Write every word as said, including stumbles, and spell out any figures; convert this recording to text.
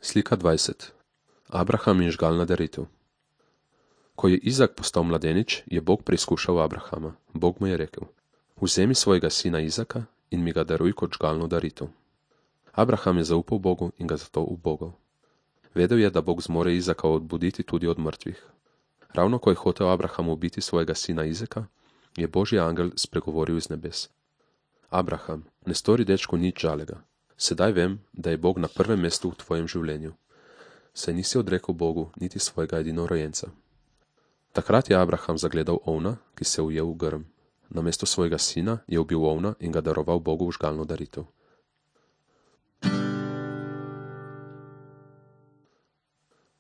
Slika dvajset. Abraham in žgalna daritev. Ko je Izak postal mladenič, je Bog preizkušal Abrahama. Bog mu je rekel: Vzemi svojega sina Izaka in mi ga daruj kot žgalno daritev. Abraham je zaupal Bogu in ga zato ubogal. Vedel je, da Bog zmore Izaka odbuditi tudi od mrtvih. Ravno ko je hotel Abraham ubiti svojega sina Izaka, je Božji angel spregovoril iz nebes: Abraham, ne stori dečku nič žalega. Sedaj vem, da je Bog na prvem mestu v tvojem življenju. Saj nisi odrekel Bogu niti svojega edinorojenca. Takrat je Abraham zagledal ovna, ki se je ujel v grm. Namesto svojega sina je ubil ovna in ga daroval Bogu v žgalno daritev.